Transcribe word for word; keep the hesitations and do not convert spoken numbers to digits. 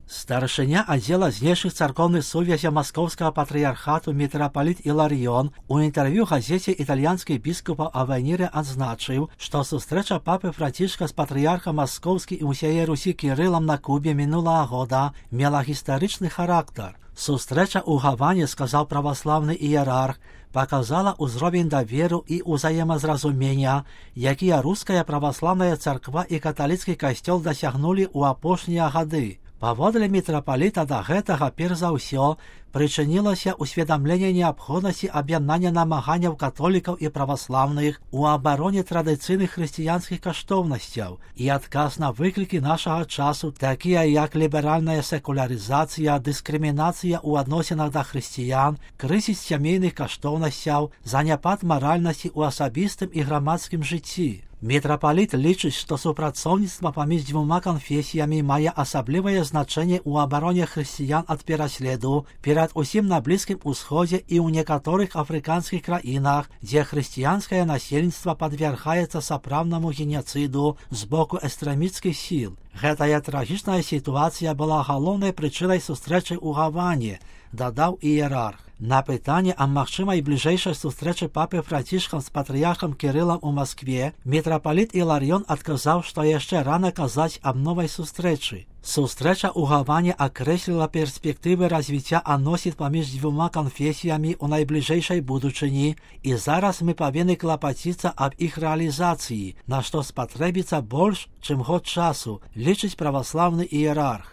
Старшыня аддзела знешніх царкоўных сувязяў маскоўскага патрыярхату мітрапаліт Іларыён у інтэрв'ю газеце італьянскіх біскупаў Авеніры адзначыў, што сустрэча папы Францішка з патрыярхам маскоўскім і ўсяе Русі Кірылам на Кубе мінулага года мела гістарычны характар. Сустрэча ў Гаване, сказаў праваслаўны іерарх, паказала ўзровень даверу і ўзаемазразумення, якія руская праваслаўная царква і каталіцкі касцёл дасягнулі ў апошнія гады. Паводле мітрапаліта да гэтага перш за ўсё прычынілася ўсведамленне неабходнасці аб'яднання намаганняў католікаў і праваслаўных у абароне традыцыйных хрысціянскіх каштоўнасцяў і адказ на выклікі нашага часу, такія як ліберальная секулярызацыя, дыскрымінацыя ў адносінах да хрысціян, крызіс сямейных каштоўнасцяў, заняпад маральнасці ў асабістым і грамадскім жыцці. Мітрапаліт лічыць, што супрацоўніцтва паміж дзвюма канфесіямі мае асаблівае значэнне ў абароне хрысціян ад пераследу, перад усім на Блізкім Усходзе і ў некаторых афрыканскіх краінах, дзе хрысціянскае насельніцтва падвяргаецца сапраўднаму геноцыду з боку экстрэмісцкіх сіл. Гэтая трагічная сітуацыя была галоўнай прычынай сустрэчы ў Гаване, дадаў іерарх. На пытанне аб магчымай бліжэйшай сустрэчы папы Францішкам з патрыярхам Кірылам у Маскве мітрапаліт Іларыён адказаў, што яшчэ рана казаць аб новай сустрэчы. Сустрэча ў Гаване акрэсліла перспектывы развіцця адносін паміж дзвюма канфесіямі ў найбліжэйшай будучыні, і зараз мы павінны клапаціцца аб іх рэалізацыі, на што спатрэбіцца больш, чым год часу, лічыць праваслаўны іерарх.